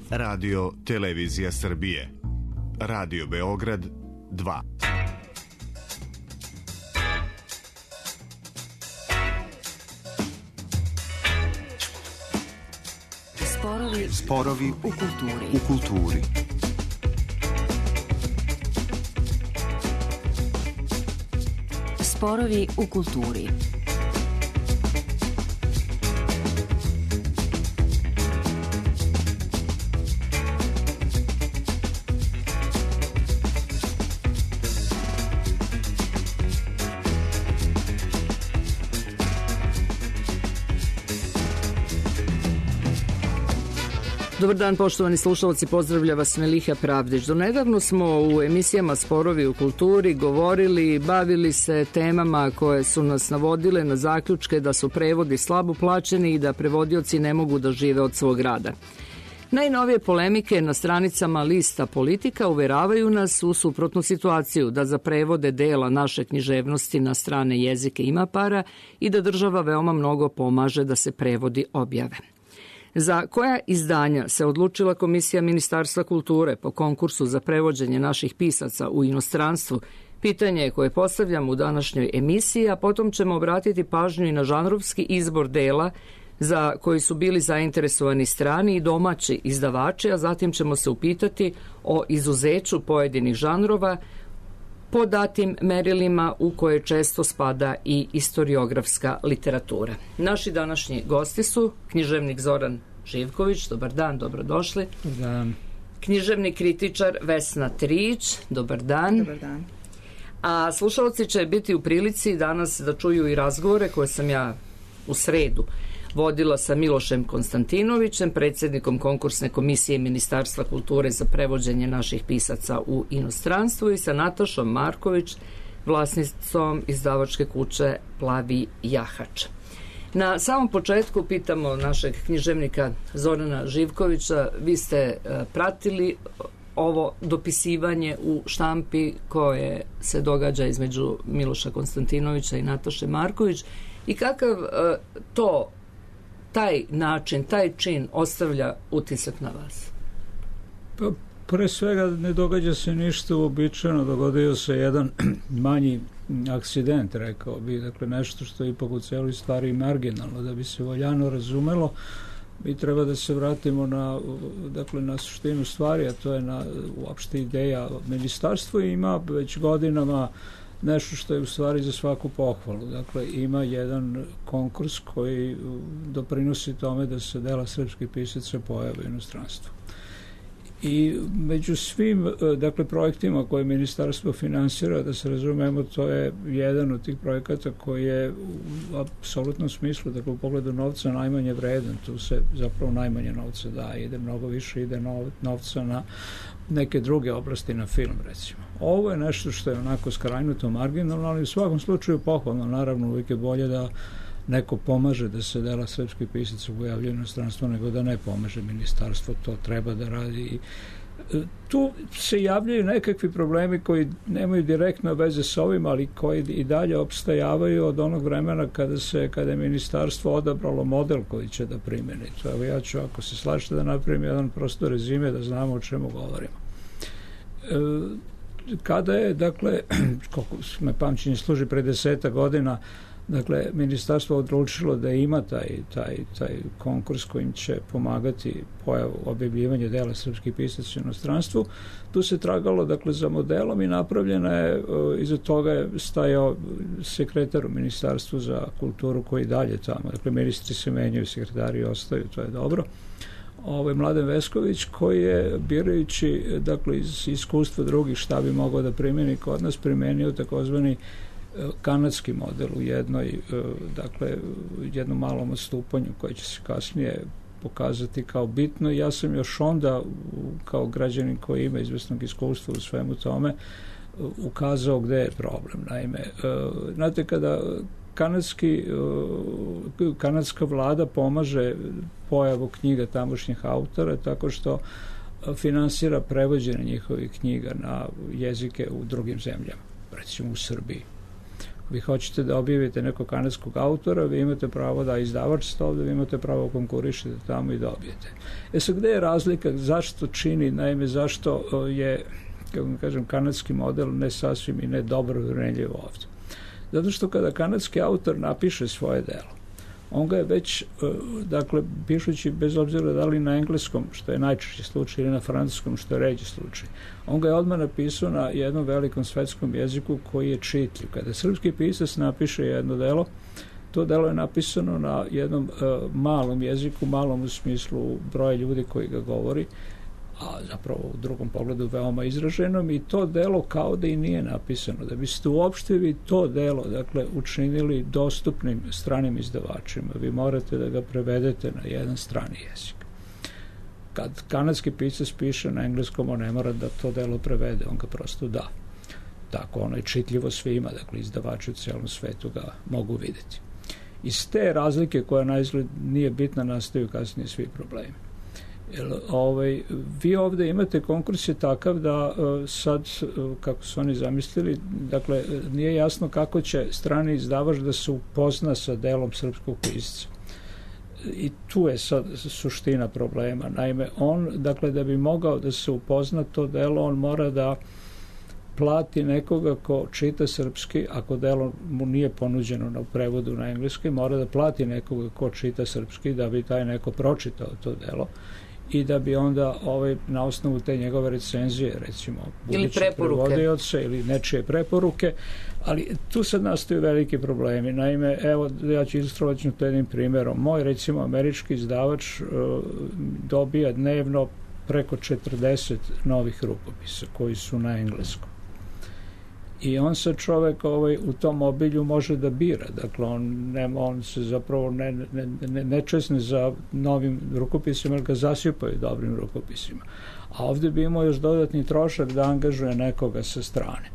Radio Televizija Srbije. Radio Beograd 2. Sporovi u kulturi. Sporovi u kulturi. Dobar dan, poštovani slušalci, pozdravlja vas Meliha Pravdić. Donedavno smo u emisijama Sporovi u kulturi govorili, bavili se temama koje su nas navodile na zaključke da su prevodi slabo plaćeni i da prevodioci ne mogu da žive od svog rada. Najnovije polemike na stranicama lista Politika uveravaju nas u suprotnu situaciju, da za prevode dela naše književnosti na strane jezike ima para i da država veoma mnogo pomaže da se prevodi objave. Za koja izdanja se odlučila Komisija Ministarstva kulture po konkursu za prevođenje naših pisaca u inostranstvu? Pitanje koje postavljam u današnjoj emisiji, a potom ćemo obratiti pažnju i na žanrovski izbor dela za koji su bili zainteresovani strani i domaći izdavači, a zatim ćemo se upitati o izuzeću pojedinih žanrova po datim merilima u koje često spada i istoriografska literatura. Naši današnji gosti su književnik Zoran Živković, dobar dan, dobrodošli. Dobar dan. Književni kritičar Vesna Trić, dobar dan. Dobar dan. A slušalci će biti u prilici danas da čuju i razgovore koje sam ja u sredu vodila sa Milošem Konstantinovićem, predsjednikom konkursne komisije Ministarstva kulture za prevođenje naših pisaca u inostranstvu, i sa Natašom Marković, vlasnicom izdavačke kuće Plavi jahač. Na samom početku pitamo našeg književnika Zorana Živkovića, vi ste pratili ovo dopisivanje u štampi koje se događa između Miloša Konstantinovića i Nataše Marković, i kakav taj način, taj čin ostavlja utisak na vas? Pa, pre svega ne događa se ništa uobičajeno, dogodio se jedan manji akcident, rekao bi, dakle nešto što je ipak u celoj stvari marginalno. Da bi se valjano razumelo, mi treba da se vratimo na suštinu stvari, a to je uopšte ideja ministarstva, i ima već godinama nešto što je u stvari za svaku pohvalu. Dakle, ima jedan konkurs koji doprinosi tome da se dela srpskih pisaca pojave u inostranstvu. I među svim, projektima koje ministarstvo finansira, da se razumemo, to je jedan od tih projekata koji je u apsolutnom smislu, dakle u pogledu novca, najmanje vredan. Tu se zapravo najmanje novca daje, ide mnogo više, ide novca na neke druge oblasti, na film recimo. Ovo je nešto što je onako skrajnuto marginalno, ali u svakom slučaju pohvalno. Naravno, uvijek je bolje da neko pomaže da se dela srpskih pisaca pojavljaju u inostranstvu nego da ne pomaže. Ministarstvo to treba da radi. Tu se javljaju nekakvi problemi koji nemaju direktno veze s ovim, ali koji i dalje opstajavaju od onog vremena kada je ministarstvo odabralo model koji će da primeni. Evo, ja ću, ako se slažete, da napravim jedan prosto rezime da znamo o čemu govorimo. Kada je, dakle, koliko me pamćenje služi, pre 10 godina, dakle, ministarstvo odlučilo da ima taj konkurs kojim će pomagati pojavu objavljivanja dela srpskih pisaca u inostranstvu. Tu se tragalo, dakle, za modelom i napravljena je, iza toga je stajao sekretar u Ministarstvu za kulturu koji dalje tamo, dakle, ministri se menjaju, sekretari ostaju, to je dobro. Mladen Vesković, koji je, birajući, dakle, iz iskustva drugih šta bi mogao da primeni kod nas, primenio takozvani kanadski model u jednom malom odstupanju koje će se kasnije pokazati kao bitno. Ja sam još onda, kao građanin koji ima izvesnog iskustva u svemu tome, ukazao gde je problem. Naime, znate, kada kanadska vlada pomaže pojavu knjiga tamošnjih autora tako što finansira prevođenje njihovih knjiga na jezike u drugim zemljama, recimo u Srbiji. Vi hoćete da objavite nekog kanadskog autora, vi imate pravo da izdavač ovde, vi imate pravo konkurišete tamo i dobijete. Sad, gde je razlika, zašto čini, naime, zašto je, kako kažem, kanadski model ne sasvim i ne dobro urenljiv ovde? Zato što kada kanadski autor napiše svoje delo, on ga je već, dakle, pišući bez obzira da li na engleskom, što je najčešći slučaj, ili na francuskom, što je ređi slučaj, on ga je odmah napisao na jednom velikom svetskom jeziku koji je čitljiv. Kada srpski pisac napiše jedno delo, to delo je napisano na jednom malom jeziku, malom u smislu broja ljudi koji ga govori, a zapravo u drugom pogledu veoma izraženom, i to delo kao da i nije napisano. Da biste uopšte vi to delo, dakle, učinili dostupnim stranim izdavačima, vi morate da ga prevedete na jedan strani jezik. Kad kanadski pisac piše na engleskom, on ne mora da to delo prevede, on ga prosto da. Tako, ono je čitljivo svima, dakle, izdavači u celom svetu ga mogu videti. Iz te razlike koja na izgled nije bitna, nastaju kasnije svi problemi. Vi ovde imate, konkurs je takav da sad, kako su oni zamislili, dakle, nije jasno kako će strani izdavač da se upozna sa delom srpskog pisca. I tu je sad suština problema. Naime, on, dakle, da bi mogao da se upozna to delo, on mora da plati nekoga ko čita srpski, ako delo mu nije ponuđeno na prevodu na engleski, mora da plati nekoga ko čita srpski da bi taj neko pročitao to delo i da bi onda na osnovu te njegove recenzije, recimo, budućeg prevodioca ili nečije preporuke, ali tu sad nastaju veliki problemi. Naime, evo, ja ću ilustrovati to jednim primjerom. Moj, recimo, američki izdavač dobija dnevno preko 40 novih rukopisa koji su na engleskom. I on se čovek u tom obilju može da bira. Dakle, on se zapravo ne česne za novim rukopisima, jer ga zasipaju dobrim rukopisima. A ovde bi imao još dodatni trošak da angažuje nekoga sa strane.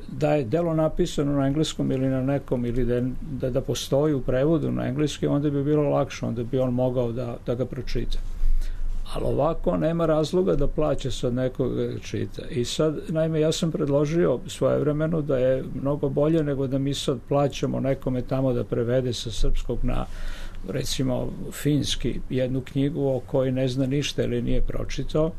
Da je delo napisano na engleskom ili na nekom, ili da postoji u prevodu na engleski, onda bi bilo lakše, onda bi on mogao da ga pročita. Ali ovako nema razloga da plaća sad nekoga da čita. I sad, naime, ja sam predložio svojevremeno da je mnogo bolje nego da mi sad plaćamo nekome tamo da prevede sa srpskog na, recimo, finski jednu knjigu o kojoj ne zna ništa ili nije pročitao,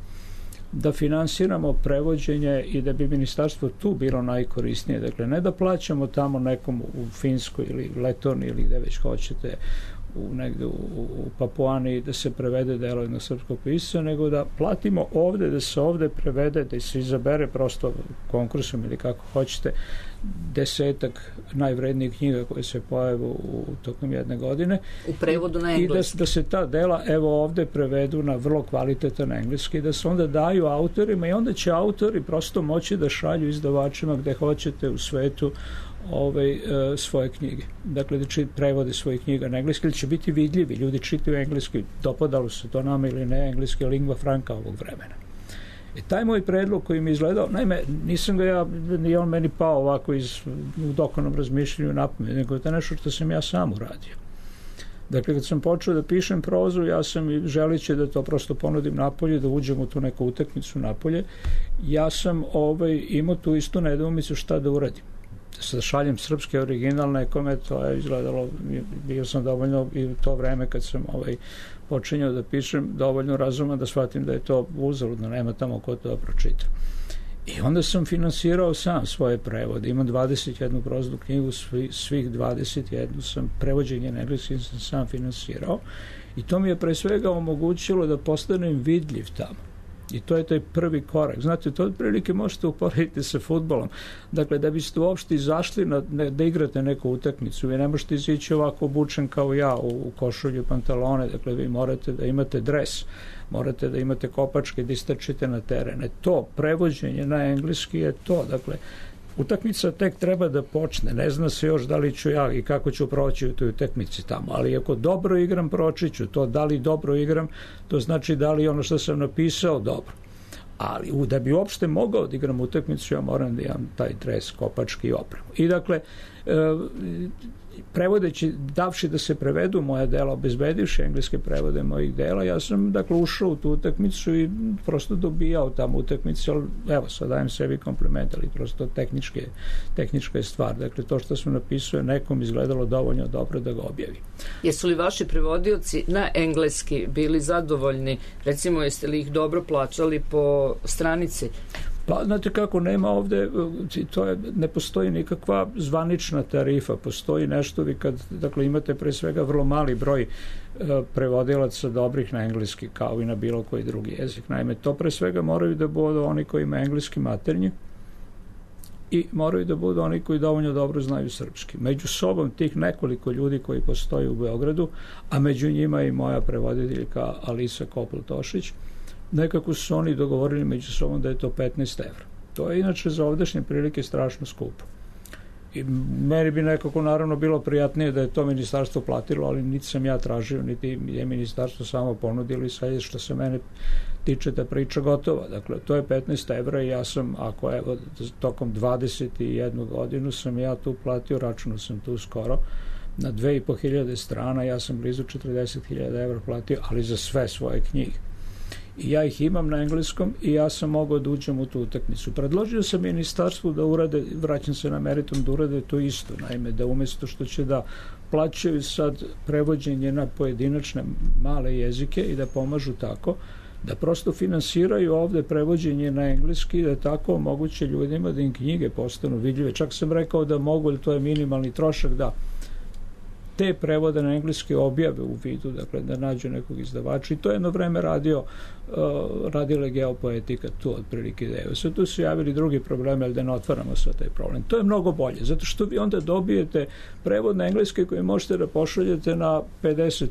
da finansiramo prevođenje i da bi ministarstvo tu bilo najkorisnije. Dakle, ne da plaćamo tamo nekom u Finskoj ili Letoniji ili gde već hoćete, negde u Papuani, da se prevede delo jednog srpskog pisca, nego da platimo ovde, da se ovde prevede, da se izabere prosto konkursom ili kako hoćete 10 najvrednijih knjiga koje se pojavu u tokom jedne godine. U prevodu na engleski. I da se ta dela evo ovde prevedu na vrlo kvalitetan engleski, da se onda daju autorima i onda će autori prosto moći da šalju izdavačima gde hoćete u svetu svoje knjige. Dakle, da prevode svoje knjiga na engleski, ili će biti vidljivi. Ljudi čitaju engleski, dopadalo se to nama ili ne, engleski je lingva franca ovog vremena. Taj moj predlog koji mi izgledao, naime, nisam ga nije on meni pao ovako u dokonom razmišljanju napamet, nego je to nešto što sam ja sam uradio. Dakle, kad sam počeo da pišem prozu, ja sam želeći da to prosto ponudim napolje, da uđem u tu neku utakmicu napolje, ja sam imao tu istu nedoumicu šta da uradim. Da šaljem srpski original nekome, to je izgledalo, bio sam dovoljno i u to vreme kad sam počinjao da pišem, dovoljno razuman da shvatim da je to uzaludno, nema tamo ko to pročita. I onda sam finansirao sam svoje prevode. Imam 21 proznu knjigu, svih 21 sam, prevođenje na engleski sam sam finansirao i to mi je pre svega omogućilo da postanem vidljiv tamo. I to je taj prvi korak. Znate, to otprilike možete uporediti sa fudbalom. Dakle, da biste uopšte izašli da igrate neku utakmicu, vi ne možete izići ovako obučen kao ja u košulju i pantalone, dakle, vi morate da imate dres, morate da imate kopačke, da istrčite na terene. To, prevođenje na engleski je to, dakle, utakmica tek treba da počne, ne zna se još da li ću ja i kako ću proći u toj utakmici tamo, ali ako dobro igram, proći ću to. Da li dobro igram, to znači da li ono što sam napisao dobro. Ali da bi uopšte mogao da igram utakmicu, ja moram da imam taj dres, kopački i opremu. I dakle, prevodeći, davši da se prevedu moja dela, obezbedivši engleske prevode mojih dela, ja sam dakle ušao u tu utakmicu i prosto dobijao tamo utakmice, ali evo sad dajem sebi kompliment, ali prosto tehnička je stvar. Dakle, to što sam napisao je nekom izgledalo dovoljno dobro da ga objavi. Jesu li vaši prevodioci na engleski bili zadovoljni? Recimo, jeste li ih dobro plaćali po stranici? Pa, znate kako, nema ovde, ne postoji nikakva zvanična tarifa, postoji nešto vi kad, dakle, imate pre svega vrlo mali broj prevodilaca dobrih na engleski, kao i na bilo koji drugi jezik. Naime, to pre svega moraju da budu oni koji imaju engleski maternji i moraju da budu oni koji dovoljno dobro znaju srpski. Među sobom tih nekoliko ljudi koji postoji u Beogradu, a među njima i moja prevoditeljka Alisa Kopl-Tošić, nekako su oni dogovorili među sobom da je to 15 evra. To je inače za ovdašnje prilike strašno skupo. I meni bi nekako naravno bilo prijatnije da je to ministarstvo platilo, ali niti sam ja tražio, niti je ministarstvo samo ponudilo i sad što se mene tiče ta priča gotova. Dakle, to je 15 evra i ja sam, ako evo, tokom 21 godinu sam ja tu platio, računao sam tu skoro, na 2500 strana, ja sam blizu 40.000 evra platio, ali za sve svoje knjige. I ja ih imam na engleskom i ja sam mogao da uđem u tu utakmicu. Predložio sam ministarstvu da urade, vraćam se na meritum, da urade to isto. Naime, da umesto što će da plaćaju sad prevođenje na pojedinačne male jezike i da pomažu tako, da prosto finansiraju ovde prevođenje na engleski i da tako omoguće ljudima da im knjige postanu vidljive. Čak sam rekao da mogu, ili to je minimalni trošak, da te prevode na engleski objave u vidu, dakle da nađu nekog izdavača i to jedno vreme radila Geopoetika tu otprilike ideju. Sad tu su javili drugi problemi, ali da ne otvaramo sve taj problem. To je mnogo bolje, zato što vi onda dobijete prevod na engleski koji možete da pošaljete na 50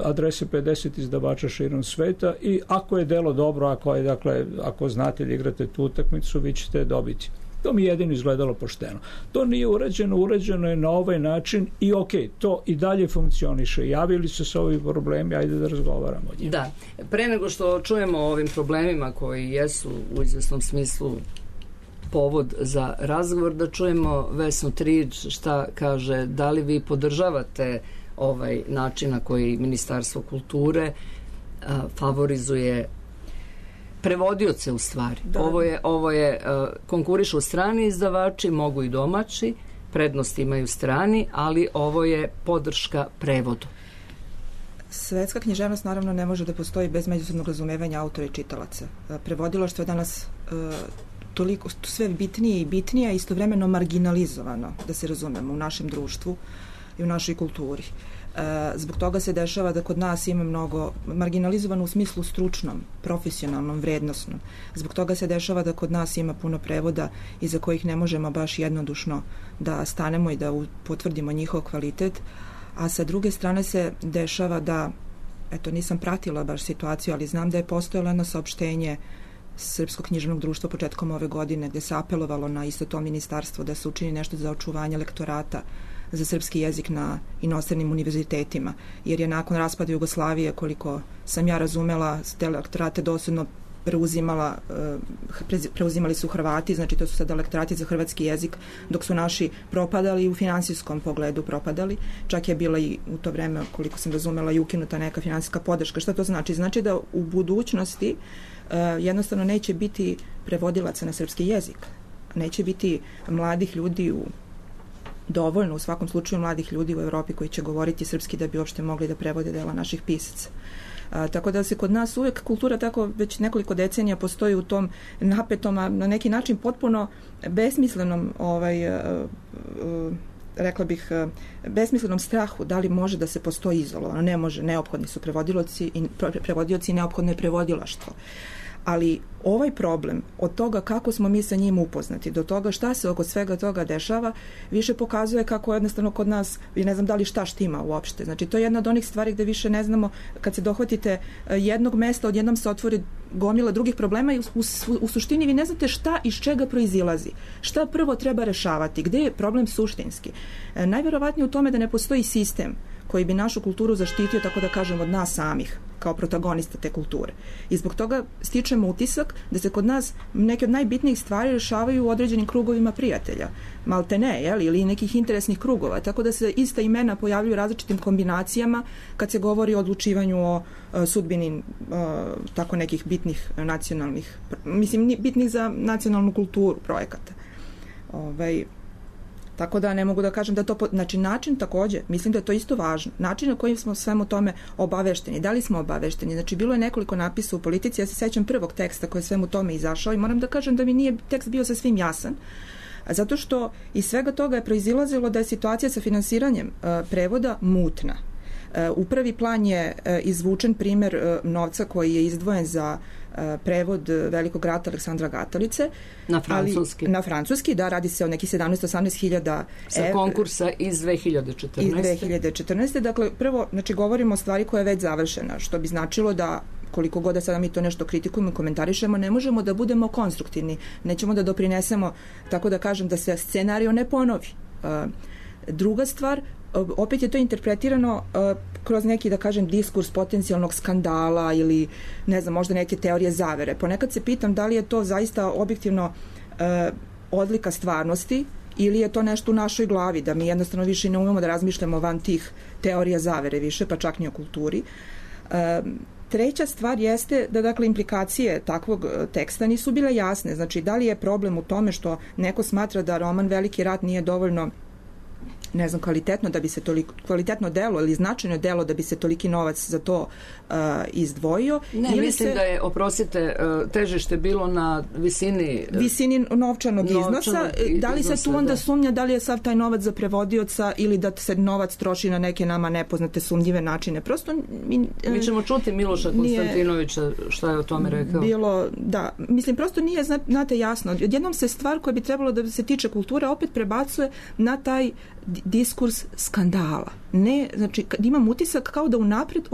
adrese 50 izdavača širom sveta i ako je delo dobro, ako znate da igrate tu utakmicu, vi ćete dobiti. To mi jedino izgledalo pošteno. To nije urađeno je na ovaj način i to i dalje funkcioniše. Javili su se ovi problemi, ajde da razgovaramo o njima. Da, pre nego što čujemo o ovim problemima koji jesu u izvesnom smislu povod za razgovor, da čujemo Vesnu Triđ šta kaže, da li vi podržavate ovaj način na koji Ministarstvo kulture favorizuje prevodioce u stvari. Da. Ovo je konkurišu strani izdavači, mogu i domaći, prednost imaju strani, ali ovo je podrška prevodu. Svetska književnost naravno ne može da postoji bez međusobnog razumevanja autora i čitalaca. Prevodilaštvo je danas toliko sve bitnije i bitnije, istovremeno marginalizovano, da se razumemo, u našem društvu i u našoj kulturi. Zbog toga se dešava da kod nas ima mnogo marginalizovano u smislu stručnom, profesionalnom, vrednosnom. Zbog toga se dešava da kod nas ima puno prevoda iza kojih ne možemo baš jednodušno da stanemo i da potvrdimo njihov kvalitet, a sa druge strane se dešava da, eto nisam pratila baš situaciju, ali znam da je postojalo jedno saopštenje Srpskog književnog društva početkom ove godine gde se apelovalo na isto to ministarstvo da se učini nešto za očuvanje lektorata za srpski jezik na inostranim univerzitetima, jer je nakon raspada Jugoslavije, koliko sam ja razumela, te lektorate doslovno preuzimali su Hrvati, znači to su sada lektorati za hrvatski jezik, dok su naši propadali u finansijskom pogledu propadali. Čak je bila i u to vreme, koliko sam razumela, i ukinuta neka finansijska podrška. Šta to znači? Znači da u budućnosti jednostavno neće biti prevodilaca na srpski jezik. Neće biti mladih ljudi dovoljno, u svakom slučaju mladih ljudi u Evropi koji će govoriti srpski da bi uopšte mogli da prevode dela naših pisaca. Tako da se kod nas uvek kultura tako već nekoliko decenija postoji u tom napetom, a na neki način potpuno besmislenom rekla bih besmislenom strahu da li može da se postoji izolovano. Ne može, neophodni su prevodioci i neophodno je prevodilaštvo. Ali ovaj problem od toga kako smo mi sa njim upoznati do toga šta se oko svega toga dešava više pokazuje kako jednostavno kod nas, ne znam da li šta štima uopšte. Znači to je jedna od onih stvari gde više ne znamo, kad se dohvatite jednog mesta, odjednom se otvori gomila drugih problema i u suštini vi ne znate šta iz čega proizilazi. Šta prvo treba rešavati, gde je problem suštinski. Najverovatnije u tome da ne postoji sistem koji bi našu kulturu zaštitio, tako da kažem, od nas samih, kao protagonista te kulture. I zbog toga stičemo utisak da se kod nas neke od najbitnijih stvari rešavaju u određenim krugovima prijatelja, malte ne, ili nekih interesnih krugova, tako da se ista imena pojavljuju različitim kombinacijama kad se govori o odlučivanju o sudbini tako nekih bitnih nacionalnih, bitnih za nacionalnu kulturu projekata. Tako da ne mogu da kažem da to... Znači, način takođe, mislim da je to isto važno. Način na kojim smo svemu tome obavešteni. Da li smo obavešteni? Znači, bilo je nekoliko napisa u Politici. Ja se sećam prvog teksta koji je svemu tome izašao i moram da kažem da mi nije tekst bio sa svim jasan. Zato što iz svega toga je proizilazilo da je situacija sa finansiranjem prevoda mutna. U prvi plan je izvučen primer novca koji je izdvojen za prevod Velikog rata Aleksandra Gatalice. Na francuski. Na francuski, da, radi se o nekih 17-18 hiljada sa konkursa iz 2014. Iz 2014. Dakle, prvo, znači, govorimo o stvari koja je već završena, što bi značilo da koliko god da sada mi to nešto kritikujemo i komentarišemo, ne možemo da budemo konstruktivni, nećemo da doprinesemo, tako da kažem, da se scenario ne ponovi. Druga stvar, opet je to interpretirano kroz neki, da kažem, diskurs potencijalnog skandala ili, ne znam, možda neke teorije zavere. Ponekad se pitam da li je to zaista objektivno odlika stvarnosti ili je to nešto u našoj glavi, da mi jednostavno više ne umemo da razmišljamo van tih teorija zavere više, pa čak ni o kulturi. Treća stvar jeste da, dakle, implikacije takvog teksta nisu bile jasne. Znači, da li je problem u tome što neko smatra da roman Veliki rat nije dovoljno, ne znam, kvalitetno da bi se toliko, kvalitetno delo ili značajno delo da bi se toliki novac za to izdvojio. Ne, ili mislim da je, oprostite, težište bilo na visini novčanog iznosa. Da li se tu onda sumnja da li je sav taj novac za prevodioca ili da se novac troši na neke nama nepoznate sumnjive načine? Prosto mi ćemo čuti Miloša Konstantinovića šta je o tome rekao. Bilo, da, mislim, prosto nije, znate, jasno. Odjednom se stvar koja bi trebalo da se tiče kulture opet prebacuje na taj diskurs skandala. Ne, znači, imam utisak kao da unapred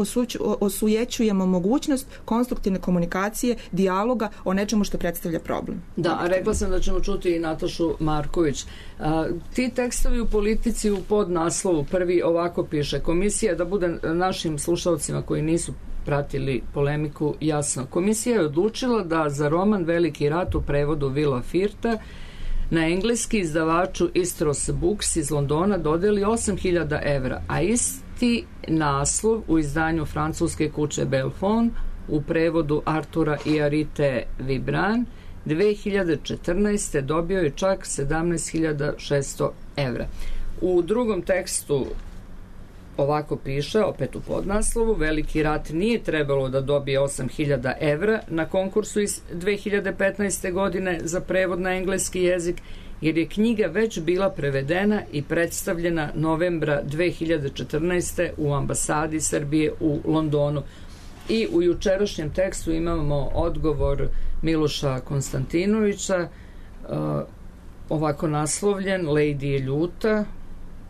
osujećujemo mogućnost konstruktivne komunikacije, dijaloga o nečemu što predstavlja problem. Da, a rekla sam da ćemo čuti i Natašu Marković. Ti tekstovi u Politici u podnaslovu prvi ovako piše: komisija, da bude našim slušalcima koji nisu pratili polemiku jasno, komisija je odlučila da za roman Veliki rat u prevodu Vila Firta na engleski izdavaču Istros Books iz Londona dodeli 8.000 evra, a isti naslov u izdanju francuske kuće Belfond u prevodu Artura i Arite Vibran 2014. dobio je čak 17.600 evra. U drugom tekstu ovako piše, opet u podnaslovu: Veliki rat nije trebalo da dobije 8.000 evra na konkursu iz 2015. godine za prevod na engleski jezik, jer je knjiga već bila prevedena i predstavljena novembra 2014. u ambasadi Srbije u Londonu. I u jučerašnjem tekstu imamo odgovor Miloša Konstantinovića, ovako naslovljen: Lady je ljuta.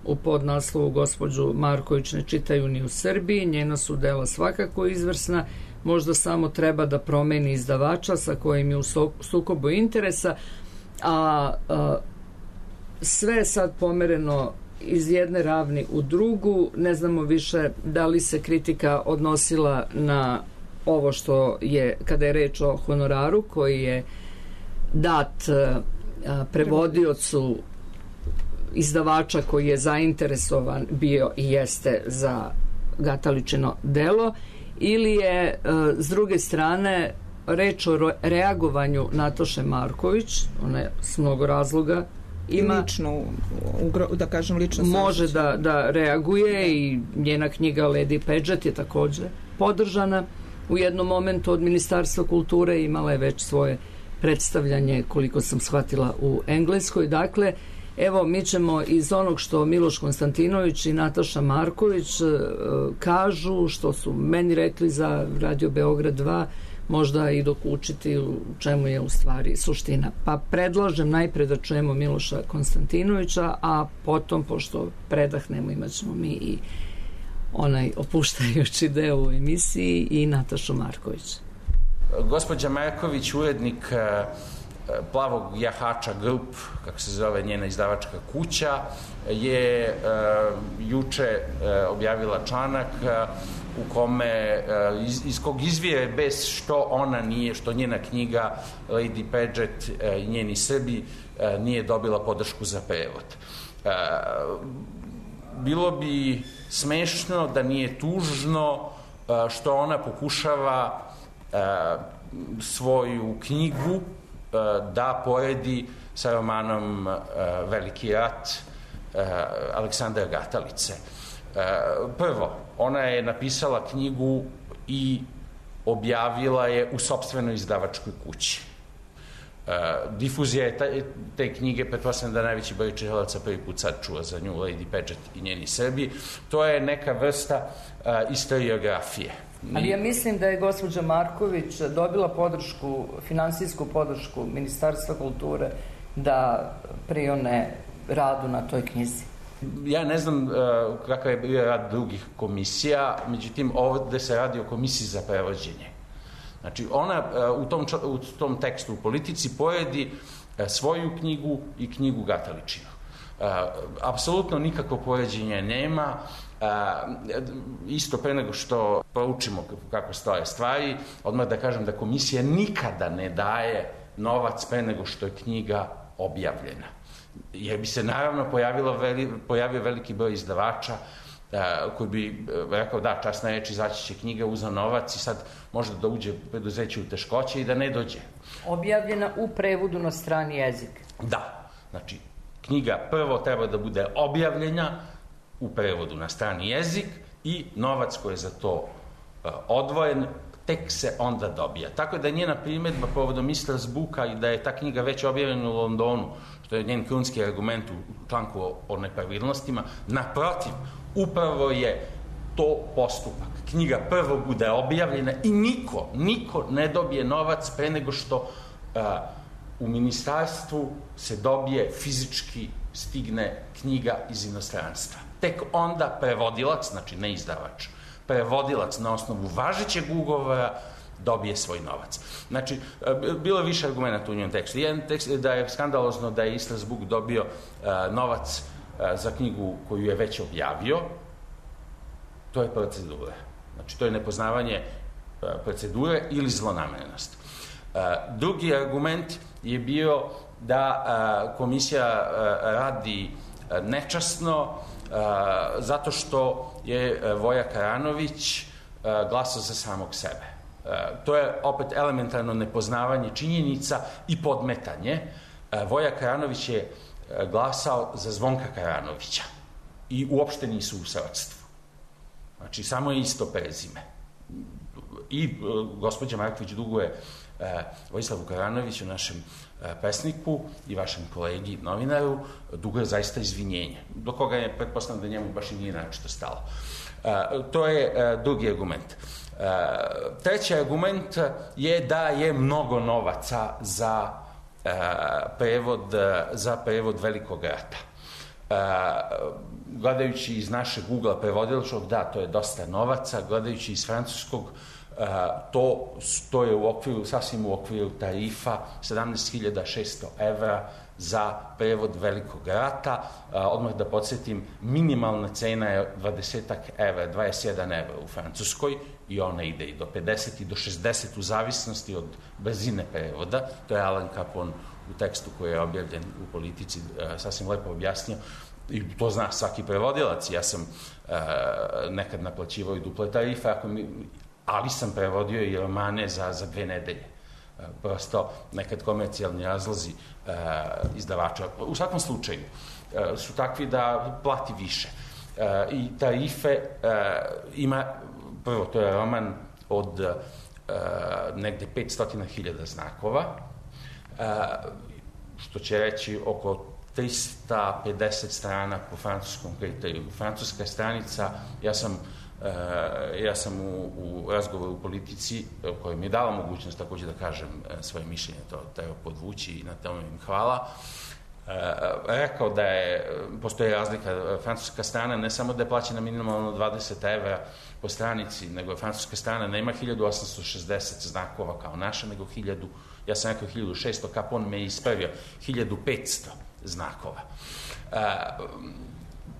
U podnaslovu gospođu Marković ne čitaju ni u Srbiji, njena su dela svakako izvrsna, možda samo treba da promeni izdavača sa kojim je u sukobu interesa, a sve je sad pomereno iz jedne ravni u drugu. Ne znamo više da li se kritika odnosila na ovo što je, kada je reč o honoraru koji je dat prevodiocu izdavača koji je zainteresovan bio i jeste za Gataličino delo, ili je s druge strane reč o reagovanju Nataše Marković. Ona je s mnogo razloga ima, lično, da kažem, lično može da reaguje i njena knjiga Lady Paget je takođe podržana u jednom momentu od Ministarstva kulture, imala je već svoje predstavljanje, koliko sam shvatila, u Engleskoj. Dakle, evo, mi ćemo iz onog što Miloš Konstantinović i Nataša Marković kažu, što su meni rekli za Radio Beograd 2, možda i dokučiti u čemu je u stvari suština. Pa predlažem najpre da čujemo Miloša Konstantinovića, a potom, pošto predahnemo, imat ćemo mi i onaj opuštajući deo u emisiji i Natašu Marković. Gospođa Marković, urednik Plavog jahača Group, kako se zove njena izdavačka kuća, je juče objavila članak u kome, iz kog izvire bez što ona nije, što njena knjiga Lady Paget i njeni Srbi nije dobila podršku za prevod. Bilo bi smešno da nije tužno što ona pokušava svoju knjigu da poredi sa romanom Veliki rat Aleksandra Gatalice. Prvo, ona je napisala knjigu i objavila je u sopstvenoj izdavačkoj kući. Difuzija je te knjige, pretpostavljam da najveći broj čitalaca prvi put sad čuo za nju, Lady Paget i njeni Srbi. To je neka vrsta istoriografije. Ali ja mislim da je gospođa Marković dobila podršku, finansijsku podršku Ministarstva kulture da prione radu na toj knjizi. Ja ne znam kakav je bio rad drugih komisija, međutim ovde se radi o komisiji za prevođenje. Znači ona u tom tekstu u Politici poredi svoju knjigu i knjigu Gataličinu. Apsolutno nikakvo poređenje nema. Isto pre nego što proučimo kako stoje stvari, odmah da kažem da komisija nikada ne daje novac pre nego što je knjiga objavljena. Jer bi se naravno pojavio veliki broj izdavača koji bi rekao da, časna reč, izaći će knjiga, uzeo novac i sad možda da uđe preduzeće u teškoće i da ne dođe. Objavljena u prevodu na strani jezik. Da, znači knjiga prvo treba da bude objavljena u prevodu na strani jezik i novac koji je za to odvojen tek se onda dobija. Tako da je njena primedba povodom Strasbooka i da je ta knjiga već objavljena u Londonu, što je njen krunski argument u članku o nepravilnostima, naprotiv, upravo je to postupak. Knjiga prvo bude objavljena i niko ne dobije novac pre nego što u ministarstvu se dobije fizički stigne knjiga iz inostranstva. Tek onda prevodilac, znači ne izdavač, prevodilac na osnovu važećeg ugovora dobije svoj novac. Znači, bilo je više argumenta u njenom tekstu. Jedan tekst da je skandalozno da je Strasbourg dobio novac za knjigu koju je već objavio. To je procedura. Znači, to je nepoznavanje procedure ili zlonamerenost. Drugi argument je bio da komisija radi nečasno zato što je Voja Karanović glasao za samog sebe. To je opet elementarno nepoznavanje činjenica i podmetanje. Voja Karanović je glasao za Zvonka Karanovića i uopšte nisu u srodstvu. Znači, samo je isto prezime. I gospođa Marković duguje Vojislavu Karanoviću, našem pesniku i vašem kolegi novinaru, duguje zaista izvinjenje, do koga je pretpostavljeno da njemu baš i nije naročito stalo. To je drugi argument. Treći argument je da je mnogo novaca za prevod Velikog rata. Gledajući iz našeg ugla prevodilačkog, da, to je dosta novaca, gledajući iz francuskog, to je sasvim u okviru tarifa 17.600 evra za prevod Velikog rata. Odmah da podsjetim, minimalna cena je 20 evra, 21 evra u Francuskoj i ona ide i do 50 i do 60 u zavisnosti od brzine prevoda. To je Alan Capone u tekstu koji je objavljen u Politici sasvim lepo objasnio. I to zna svaki prevodilac. Ja sam nekad naplaćivao i duple tarife, ali sam prevodio i romane za 2 nedelje. Prosto nekad komercijalni razlozi izdavača. U svakom slučaju su takvi da plati više. I tarife ima, prvo, to je roman od negde 500.000 znakova, što će reći oko 350 strana po francuskom kriteriju. Francuska stranica, ja sam u razgovoru u Politici, koji mi je dala mogućnost takođe da kažem svoje mišljenje, to treba podvući i na tome im hvala, rekao da postoji razlika. Francuska strana ne samo da je plaćena minimalno 20 evra po stranici, nego francuska strana nema 1860 znakova kao naša, nego 1000, ja sam rekao 1600, Capon me ispravio, 1500 znakova.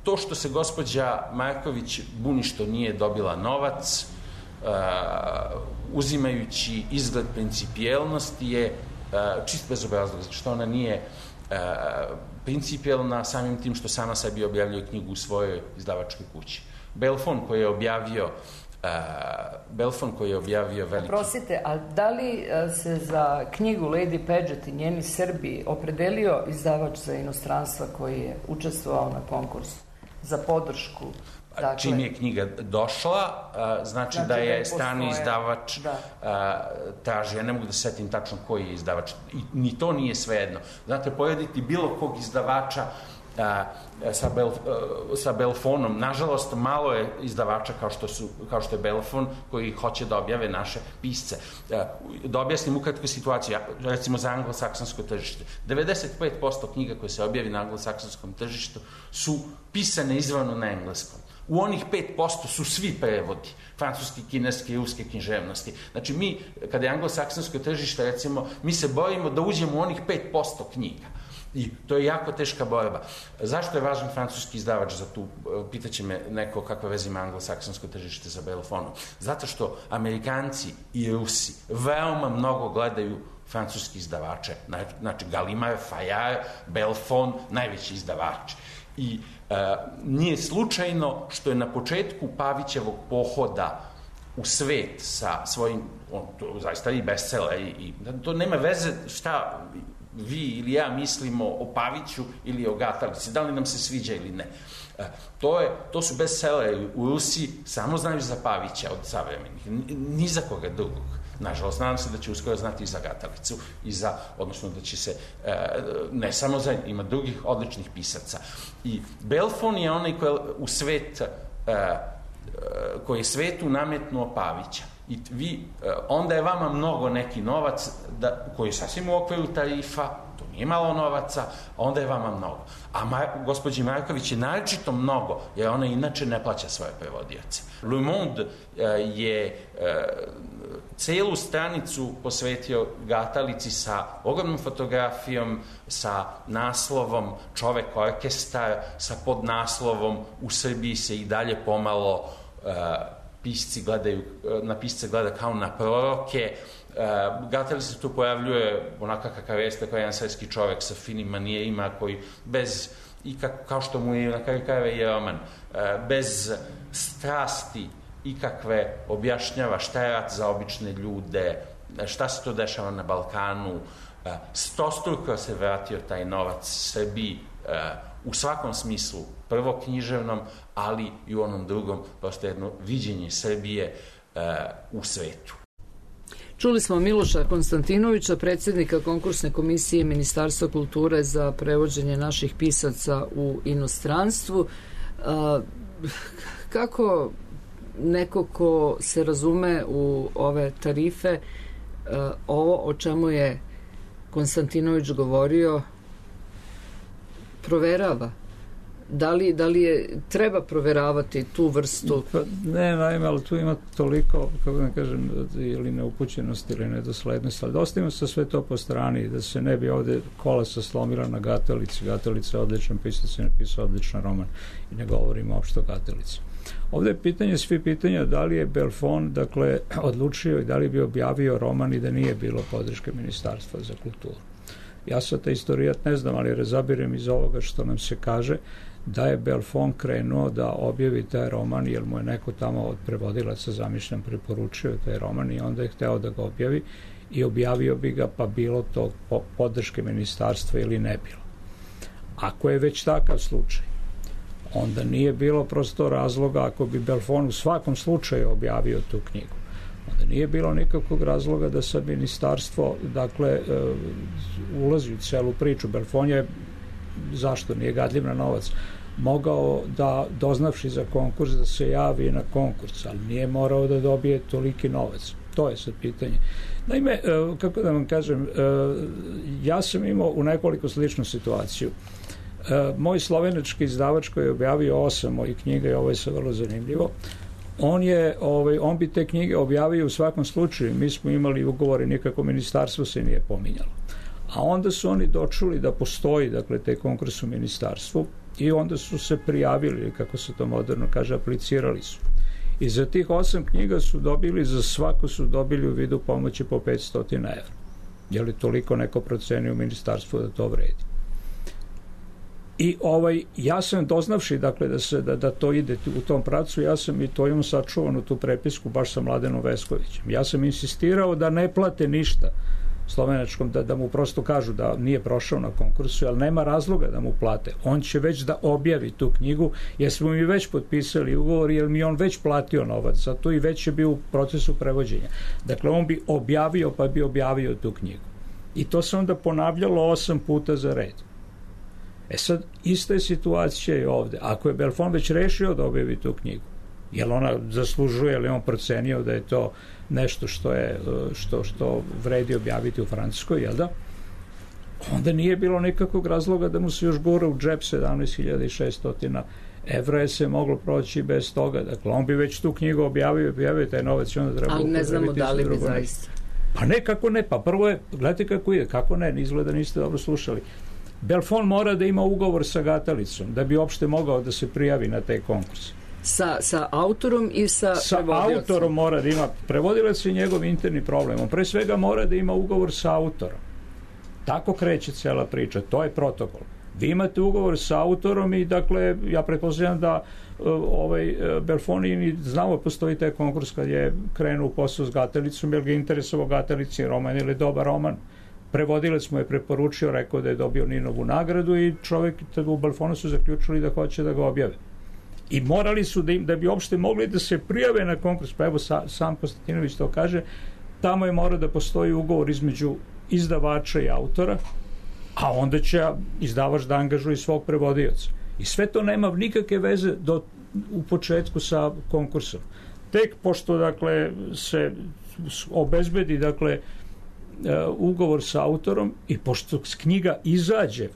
To što se gospođa Marković buni što nije dobila novac, uzimajući izgled principijelnosti, je čist bezobrazlog, što ona nije principijelna samim tim što sama sebi objavljuje knjigu u svojoj izdavačkoj kući. Belfon koji je objavio veliki... Prosite, a da li se za knjigu Lady Paget i njeni Srbi opredelio izdavač za inostranstva koji je učestvovao na konkursu za podršku? Dakle, čim je knjiga došla, znači da je strani izdavač traži. Ja ne mogu da se setim tačno koji je izdavač. Ni to nije svejedno. Znate, pojediti bilo kog izdavača sa Belfonom. Nažalost, malo je izdavača kao što je Belfon koji hoće da objave naše pisce. Da objasnim ukratko situaciju, recimo za anglosaksonsko tržište. 95% knjiga koje se objavi na anglosaksonskom tržištu su pisane izravno na engleskom. U onih 5% su svi prevodi, francuski, kineski, ruske književnosti. Znači mi, kada je anglosaksonsko tržište, recimo, mi se borimo da uđemo u onih 5% knjiga. I to je jako teška borba. Zašto je važan francuski izdavač za tu, pitaće me neko kakve veze ima anglosaksonsko tržište za Belfonom? Zato što Amerikanci i Rusi veoma mnogo gledaju francuski izdavače. Znači Gallimard, Fayard, Belfon, najveći izdavač. I nije slučajno što je na početku Pavićevog pohoda u svet sa svojim, zaista i bestseller, i to nema veze šta vi ili ja mislimo o Paviću ili o Gatalici, da li nam se sviđa ili ne. To su bestselleri u Rusiji, samo znaju za Pavića od savremenih, ni za koga drugog. Nažalost, nadam se da će uskoro znati i za Gatalicu, odnosno da će se, ne samo za, ima drugih odličnih pisaca. I Belfon je onaj koji je svetu nametnuo Pavića. I onda je vama mnogo neki novac, koji je sasvim u okviru tarifa, to nije malo novaca, onda je vama mnogo. A gospođi Marković je naročito mnogo, jer ona inače ne plaća svoje prevodioce. Le Monde je celu stranicu posvetio Gatalici sa ogromnom fotografijom, sa naslovom Čovek orkestar, sa podnaslovom U Srbiji se i dalje pomalo na pisce gleda kao na proroke. Gatalica se tu pojavljuje onaka kakav jeste, kao jedan svetski čovek sa finim manijerima koji kao što mu je na kraju krajeva i roman, bez strasti ikakve objašnjava šta je rat za obične ljude, šta se to dešava na Balkanu. Stostruko se vratio taj novac Srbiji u svakom smislu, prvo književnom, ali i u onom drugom, prosto jedno viđenje Srbije u svetu. Čuli smo Miloša Konstantinovića, predsjednika konkursne komisije Ministarstva kulture za prevođenje naših pisaca u inostranstvu. Kako neko ko se razume u ove tarife, ovo o čemu je Konstantinović govorio, proverava? Da li je treba proveravati tu vrstu? Ne, naime, ali tu ima toliko, kako da kažem, ili neupućenosti ili nedoslednosti, ali da ostavimo se sve to po strani, da se ne bi ovde kolesa slomila na Gatalici. Gatalica je odličan pisac i napisao odličan roman i ne govorimo uopšte o Gatalici. Ovde je svi pitanja da li je Belfon, dakle, odlučio i da li bi objavio roman i da nije bilo podrške Ministarstva za kulturu. Ja sad taj istorijat ne znam, ali razabirem iz ovoga što nam se kaže da je Belfon krenuo da objavi taj roman, jer mu je neko tamo od prevodilaca zamišljen preporučio taj roman i onda je hteo da ga objavi i objavio bi ga, pa bilo to podrške ministarstva ili ne bilo. Ako je već takav slučaj, onda nije bilo prosto razloga, ako bi Belfon u svakom slučaju objavio tu knjigu, onda nije bilo nikakvog razloga da sad ministarstvo, dakle, ulazi u celu priču. Belfon je, zašto nije gadljiv na novac, mogao da, doznavši za konkurs, da se javi na konkurs, ali nije morao da dobije toliki novac. To je sad pitanje. Naime, kako da vam kažem, ja sam imao u nekoliko sličnu situaciju. Moj slovenački izdavač koji je objavio 8 mojih knjiga, i ovo je sad vrlo zanimljivo, on bi te knjige objavio u svakom slučaju. Mi smo imali ugovore, nikako ministarstvo se nije pominjalo. A onda su oni dočuli da postoji, dakle, taj konkurs u ministarstvu i onda su se prijavili, kako se to moderno kaže, aplicirali su. I za tih 8 knjiga su dobili, za svako su dobili u vidu pomoći po 500 evra. Je li toliko neko procenio u ministarstvu da to vredi? I ja sam doznavši, dakle, da to ide u tom pravcu, ja sam i to imam sačuvanu tu prepisku baš sa Mladenom Veskovićem. Ja sam insistirao da ne plate ništa slovenačkom, da mu prosto kažu da nije prošao na konkursu, ali nema razloga da mu plate. On će već da objavi tu knjigu, jer smo mi već potpisali ugovor, jer mi on već platio novac za to i već je bio u procesu prevođenja. Dakle, on bi objavio, pa bi objavio tu knjigu. I to se onda ponavljalo 8 puta za red. Sad, ista je situacija i ovde. Ako je Belfond već rešio da objavi tu knjigu, jel ona zaslužuje, ili on procenio da je to nešto što vredi objaviti u Francuskoj, jel da? Onda nije bilo nikakvog razloga da mu se još gura u džep 17.600 evra, je se moglo proći bez toga. Dakle, on bi već tu knjigu objavio taj novac i onda treba ali ne znamo da li bi zaista. Pa ne, kako ne, pa prvo je, gledajte kako ide, kako ne, izgleda niste dobro slušali. Belfond mora da ima ugovor sa Gatalicom da bi uopšte mogao da se prijavi na taj konkurs. Sa autorom i sa prevodiocem. Sa autorom mora da ima, prevodilac je njegov interni problem. On pre svega mora da ima ugovor sa autorom. Tako kreće cela priča, to je protokol. Vi imate ugovor sa autorom i, dakle, ja pretpostavljam da Belfond i znamo postoji taj konkurs kad je krenuo u posao s Gatalicom, jer ga interesovao Gatalici roman ili dobar roman. Prevodilac mu je preporučio, rekao da je dobio Ninovu nagradu i čovjek u Belfondu su zaključili da hoće da ga objave. I morali su da bi uopšte mogli da se prijave na konkurs, pa evo sam Konstantinović to kaže, tamo je mora da postoji ugovor između izdavača i autora, a onda će izdavač da angažuje svog prevodioca. I sve to nema nikakve veze u početku sa konkursom. Tek pošto, dakle, se obezbedi, dakle, ugovor sa autorom i pošto knjiga izađe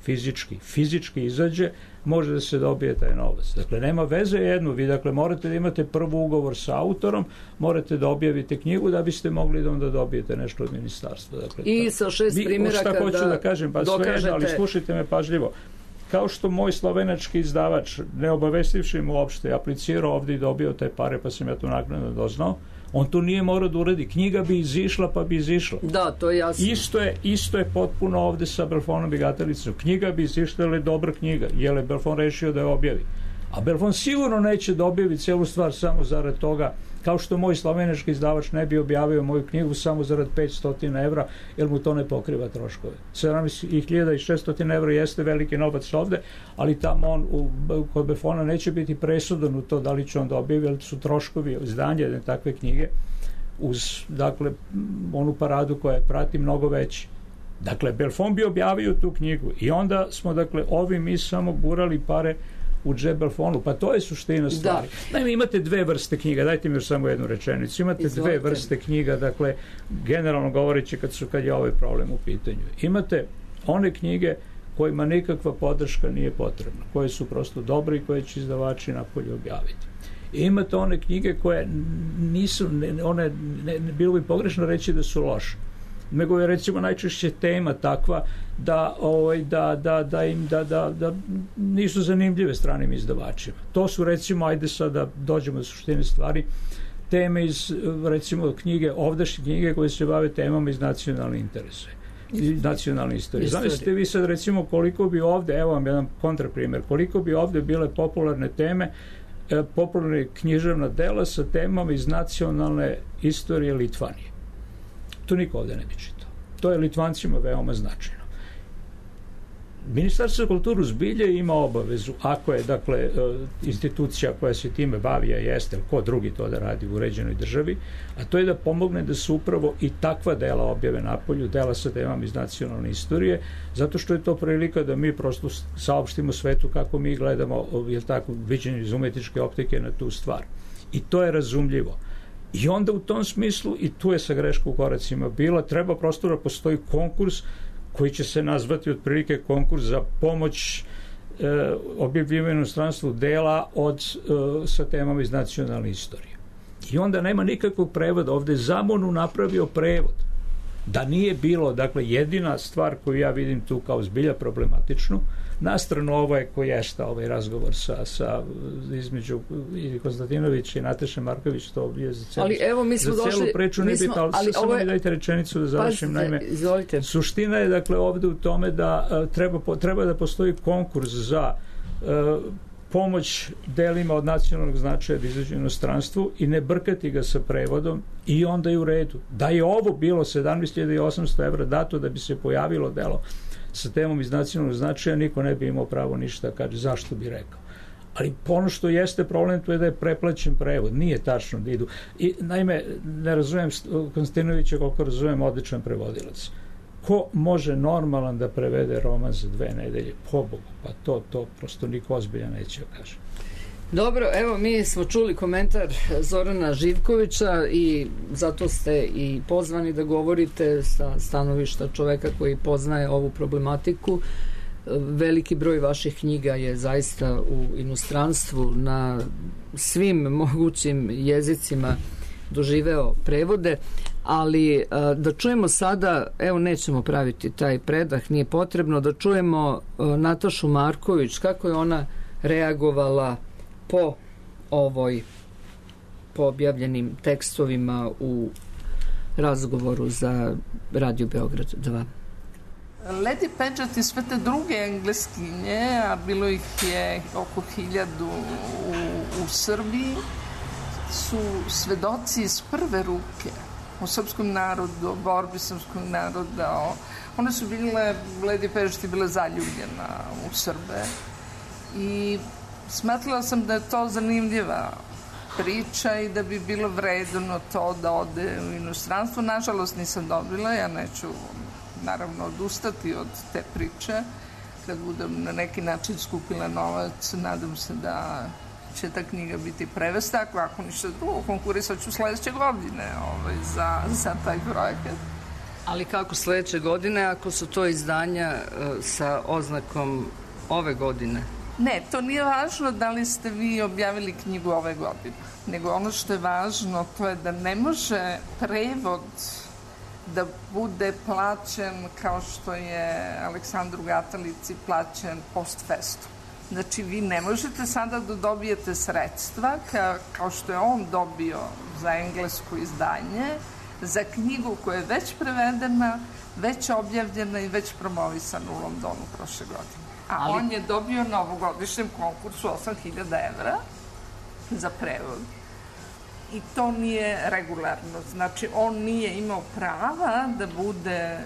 fizički izađe, može da se dobije taj novac. Dakle, nema veze jedno, vi, dakle, morate da imate prvo ugovor sa autorom, morate da objavite knjigu da biste mogli da onda dobijete nešto od ministarstva. Dakle, i sa 6 primjeraka šta hoću da kažem, pa dokažete... sve, ali slušajte me pažljivo. Kao što moj slovenački izdavač, ne obavestivši mu uopšte, aplicirao ovdje i dobio te pare, pa sam ja to naknadno doznao, on to nije morao da uradi. Knjiga bi izišla, pa bi izišla. Da, to je jasno. Isto je potpuno ovde sa Belfondom i Gatalicom. Knjiga bi izišla, ali je dobra knjiga, jer je Belfond rešio da je objavi. A Belfond sigurno neće da objavi celu stvar samo zarad toga, kao što moj slovenački izdavač ne bi objavio moju knjigu samo zarad 500 evra, jer mu to ne pokriva troškove. 17.600 evra jeste veliki novac ovde, ali tamo on kod Belfonda neće biti presudan u to da li će on da objavi, jer su troškovi izdanja jedne takve knjige uz, dakle, onu paradu koja je prati mnogo veći. Dakle, Belfond bi objavio tu knjigu i onda smo, dakle, mi samo gurali pare u džep Belfondu, pa to je suština stvari. Naime, imate dve vrste knjiga, dajte mi još samo jednu rečenicu. Imate dve vrste knjiga, dakle, generalno govoreći kad je ovaj problem u pitanju. Imate one knjige kojima nikakva podrška nije potrebna, koje su prosto dobre i koje će izdavači napolje objaviti. I imate one knjige koje nisu, bilo bi pogrešno reći da su loše, nego je, recimo, najčešće tema takva da nisu zanimljive stranim izdavačima. To su, recimo, ajde sad da dođemo do suštine stvari, teme iz, recimo, ovdašnje knjige koje se bave temama iz nacionalne interese i nacionalne istorije. Zamislite vi sad, recimo, koliko bi ovde, evo vam jedan kontraprimjer, koliko bi ovde bile popularne teme, popularne književna dela sa temama iz nacionalne istorije Litvanije. To niko ovde ne bi čitao. To je Litvancima veoma značajno. Ministarstvo kulturu zbilje ima obavezu, ako je, dakle, institucija koja se time bavi, a jeste, ko drugi to da radi u uređenoj državi, a to je da pomogne da se upravo i takva dela objave napolju, dela sa temama iz nacionalne istorije, zato što je to prilika da mi prosto saopštimo svetu kako mi gledamo, jel tako, viđenje iz umetničke optike na tu stvar. I to je razumljivo. I onda u tom smislu, i tu je sa greška u koracima bila, treba prosto da postoji konkurs koji će se nazvati otprilike konkurs za pomoć objavljivanju inostranstvu dela sa temama iz nacionalne istorije. I onda nema nikakvog prevoda. Ovde je Zamonu napravio prevod. Da nije bilo, dakle, jedina stvar koju ja vidim tu kao zbilja problematičnu, nastrano ovaj koji jeste ovaj razgovor sa između Konstantinovića i Nateše Marković, to je za celu, ali evo, mi smo za celu došli, priču ne bitno, ali samo mi dajte rečenicu da završim. Naime, suština je, dakle, ovde u tome da treba da postoji konkurs za pomoć delima od nacionalnog značaja da izađu u inostranstvu i ne brkati ga sa prevodom i onda je u redu. Da je ovo bilo 17.800 evra dato da bi se pojavilo delo sa temom iz nacionalnog značaja, niko ne bi imao pravo ništa kaže, zašto bi rekao. Ali ono što jeste problem to je da je preplaćen prevod, nije tačno da idu. I naime, ne razumem Konstantinovića koliko razumem odličan prevodilac. Ko može normalan da prevede roman za 2 nedelje? Pobogu, pa to prosto niko ozbilja neće kaže. Dobro, evo mi smo čuli komentar Zorana Živkovića i zato ste i pozvani da govorite sa stanovišta čoveka koji poznaje ovu problematiku. Veliki broj vaših knjiga je zaista u inostranstvu na svim mogućim jezicima doživeo prevode, ali da čujemo sada, evo nećemo praviti taj predah, nije potrebno, da čujemo Natašu Marković, kako je ona reagovala po objavljenim tekstovima u razgovoru za Radio Beograd 2. Lady Paget i sve te druge engleskinje, a bilo ih je oko 1000 u Srbiji, su svedoci iz prve ruke o srpskom narodu, o borbi srpskog naroda. One su bile, Lady Paget je bila zaljubljena u Srbe i smatrala sam da je to zanimljiva priča i da bi bilo vredno to da ode u inostranstvo. Nažalost nisam dobila, ja neću naravno odustati od te priče. Kad budem na neki način skupila novac, nadam se da će ta knjiga biti prevesta, ako ništa drugo, konkurisat ću sledeće godine za taj projekat. Ali kako sledeće godine ako su to izdanja sa oznakom ove godine? Ne, to nije važno da li ste vi objavili knjigu ove godine, nego ono što je važno to je da ne može prevod da bude plaćen kao što je Aleksandru Gatalici plaćen post festum. Znači, vi ne možete sada da dobijete sredstva kao što je on dobio za englesko izdanje, za knjigu koja je već prevedena, već objavljena i već promovisana u Londonu prošle godine. A on je dobio na ovogodišnjem konkursu 8.000 evra za prevod. I to nije regularno. Znači, on nije imao prava da bude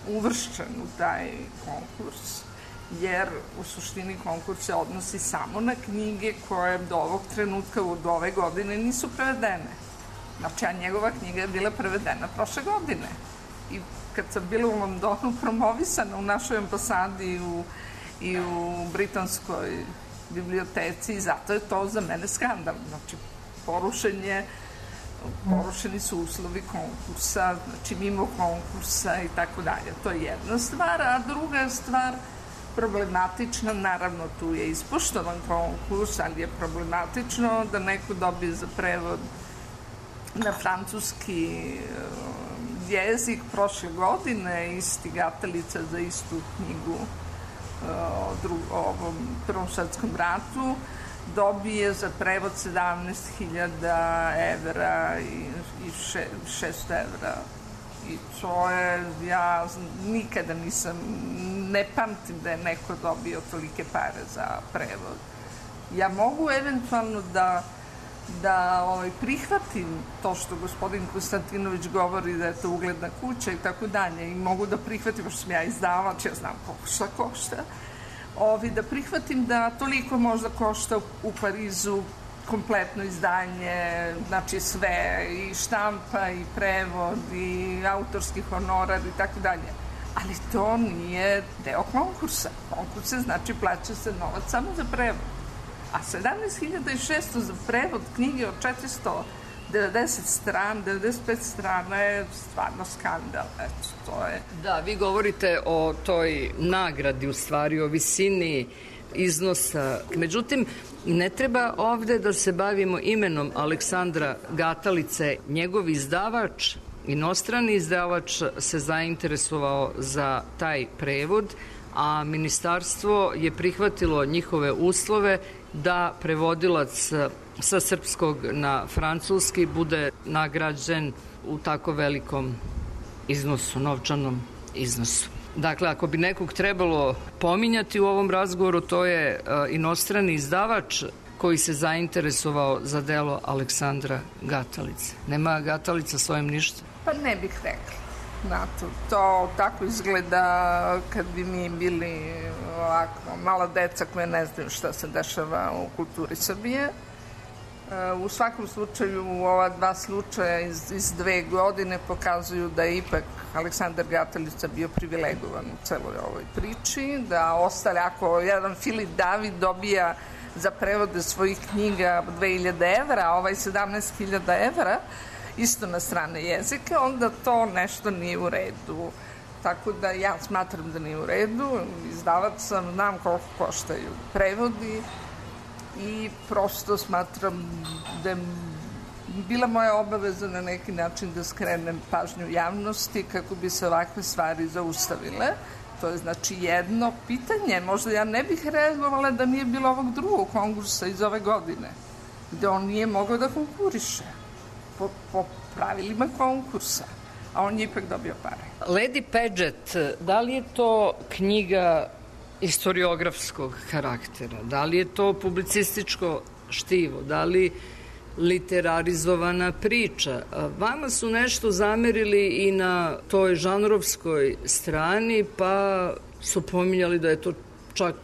uvršćen u taj konkurs, jer u suštini konkurs se odnosi samo na knjige koje do ovog trenutka, do ove godine nisu prevedene. Znači, a njegova knjiga je bila prevedena prošle godine. I kad sam bila u Londonu promovisana u našoj ambasadi i u britanskoj biblioteci, i zato je to za mene skandal. Znači, porušeni su uslovi konkursa, znači mimo konkursa i tako dalje. To je jedna stvar, a druga stvar problematična, naravno tu je ispoštovan konkurs, ali je problematično da neko dobije za prevod na francuski jezik prošle godine, isti Gatalica za istu knjigu o ovom Prvom svetskom ratu, dobije za prevod 17.000 evra i 600 evra. I to je, ja nikada ne pamtim da je neko dobio tolike pare za prevod. Ja mogu eventualno da prihvatim to što gospodin Konstantinović govori da je to ugledna kuća i tako dalje, i mogu da prihvatim, što sam ja izdavač, ja znam šta košta, da prihvatim da toliko možda košta u Parizu kompletno izdanje, znači sve, i štampa, i prevod, i autorski honorar i tako dalje. Ali to nije deo konkursa. Konkurs znači plaća se novac samo za prevod. A 17.600 za prevod knjige od 490 strana, 95 strana je stvarno skandal. Eto, to je... Da, vi govorite o toj nagradi, u stvari, o visini iznosa. Međutim, ne treba ovde da se bavimo imenom Aleksandra Gatalice. Njegov izdavač, inostrani izdavač, se zainteresovao za taj prevod, a ministarstvo je prihvatilo njihove uslove da prevodilac sa srpskog na francuski bude nagrađen u tako velikom iznosu, novčanom iznosu. Dakle, ako bi nekog trebalo pominjati u ovom razgovoru, to je inostrani izdavač koji se zainteresovao za delo Aleksandra Gatalice. Nema Gatalica s ovim ništa? Pa ne bih rekla. Znate, to tako izgleda kad bi mi bili ovako mala deca koje ne znaju šta se dešava u kulturi Srbije. U svakom slučaju, ova dva slučaja iz 2 godine pokazuju da je ipak Aleksandar Gatalica bio privilegovan u celoj ovoj priči, da ostale, ako jedan Filip David dobija za prevode svojih knjiga 2000 evra, a ovaj 17.000 evra, isto na strane jezike, onda to nešto nije u redu. Tako da ja smatram da nije u redu, izdavac sam, znam koliko koštaju prevodi i prosto smatram da je bila moja obaveza na neki način da skrenem pažnju javnosti kako bi se ovakve stvari zaustavile. To je znači jedno pitanje. Možda ja ne bih reagovala da nije bilo ovog drugog konkursa iz ove godine, gde on nije mogao da konkuriše po pravilima konkursa, a on je ipak dobio pare. Lady Paget, da li je to knjiga istoriografskog karaktera, da li je to publicističko štivo, da li literarizovana priča? Vama su nešto zamerili i na toj žanrovskoj strani, pa su pominjali da je to čak,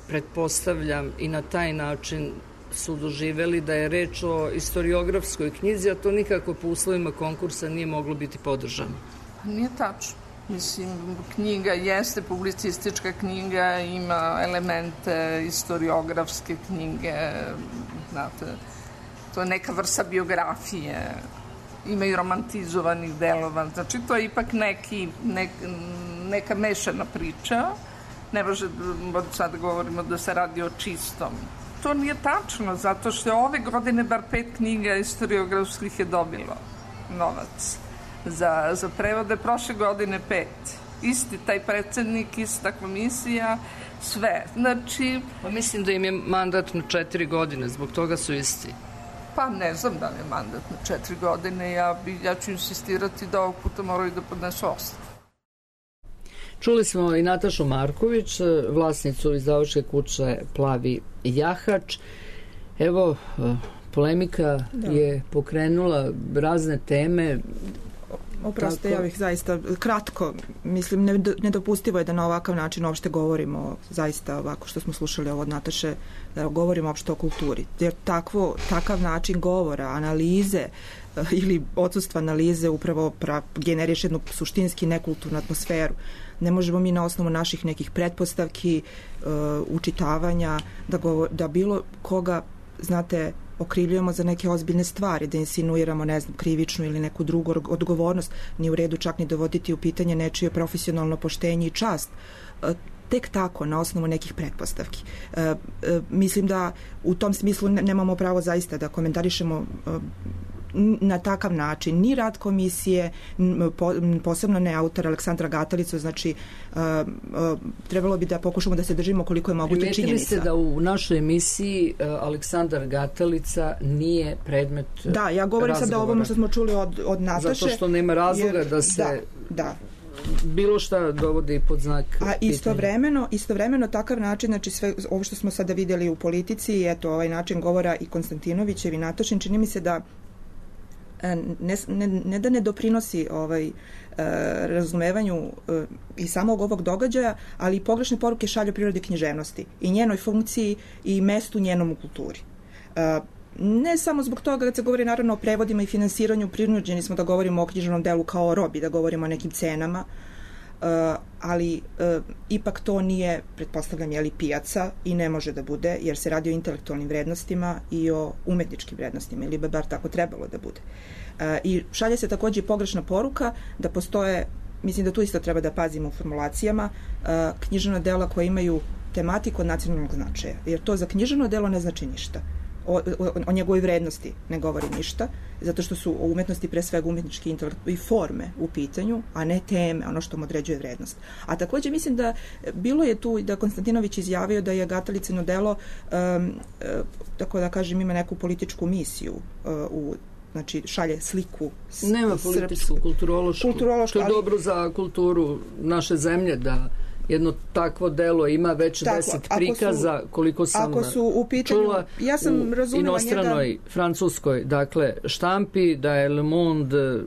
pretpostavljam, i na taj način su doživeli da je reč o istoriografskoj knjizi, a to nikako po uslovima konkursa nije moglo biti podržano. Nije tačno. Mislim, knjiga jeste publicistička knjiga, ima elemente istoriografske knjige, znate, to je neka vrsta biografije, ima i romantizovanih delova, znači to je ipak neka mešana priča, ne može sad da govorimo da se radi o čistom. To nije tačno, zato što je ove godine bar 5 knjiga istoriografskih je dobilo novac za prevode, prošle godine 5. Isti taj predsednik, ista komisija, sve. Znači... Pa mislim da im je mandat na 4 godine, zbog toga su isti. Pa ne znam da li je mandat na 4 godine, ja ću insistirati da ovog puta moraju da podnesu ostavku. Čuli smo i Natašu Marković, vlasnicu izdavačke kuće Plavi jahač. Evo, polemika je pokrenula razne teme. Oproste, ja bih zaista kratko, mislim, nedopustivo je da na ovakav način uopšte govorimo, zaista ovako što smo slušali ovo od Nataše, da govorimo uopšte o kulturi. Jer takav način govora, analize ili odsustva analize upravo generiš jednu suštinski nekulturnu atmosferu. Ne možemo mi na osnovu naših nekih pretpostavki, učitavanja, da bilo koga, znate, okrivljujemo za neke ozbiljne stvari, da insinuiramo, ne znam, krivičnu ili neku drugu odgovornost, ni u redu čak ni dovoditi u pitanje nečije profesionalno poštenje i čast. Tek tako, na osnovu nekih pretpostavki. Mislim da u tom smislu nemamo pravo zaista da komentarišemo na takav način ni rad komisije, posebno ne autor Aleksandra Gatalicu, znači trebalo bi da pokušamo da se držimo koliko je moguće činjenica. Primetili ste da u našoj emisiji Aleksandar Gatalica nije predmet Da, ja govorim sad o ovom što smo čuli od Nataše. Zato što nema razloga da se bilo šta dovodi pod znak pitanja. A istovremeno takav način, znači sve ovo što smo sada vidjeli u politici, eto ovaj način govora i Konstantinovićev i Natašin, čini mi se da ne da ne doprinosi razumevanju i samog ovog događaja, ali i pogrešne poruke šalju prirodi književnosti i njenoj funkciji i mestu njenom u kulturi. Ne samo zbog toga kad se govori naravno o prevodima i finansiranju, prinuđeni smo da govorimo o književnom delu kao o robi, da govorimo o nekim cenama, ali ipak to nije, pretpostavljam, pijaca i ne može da bude, jer se radi o intelektualnim vrednostima i o umetničkim vrednostima, ili bi bar tako trebalo da bude. I šalje se takođe pogrešna poruka da postoje mislim da tu isto treba da pazimo u formulacijama, književna dela koja imaju tematiku od nacionalnog značaja, jer to za književno delo ne znači ništa. O njegovoj vrednosti ne govori ništa, zato što su o umetnosti pre svega umetnički intelekt i forme u pitanju, a ne teme, ono što mu određuje vrednost. A takođe mislim da bilo je tu da Konstantinović izjavio da je Gatalicino delo, tako da kažem, ima neku političku misiju, znači šalje sliku. Nema političku, kulturološku. To je dobro za kulturu naše zemlje da jedno takvo delo ima već 10 prikaza, koliko sam čula, ja sam u inostranoj, francuskoj, dakle, štampi, da je Le Monde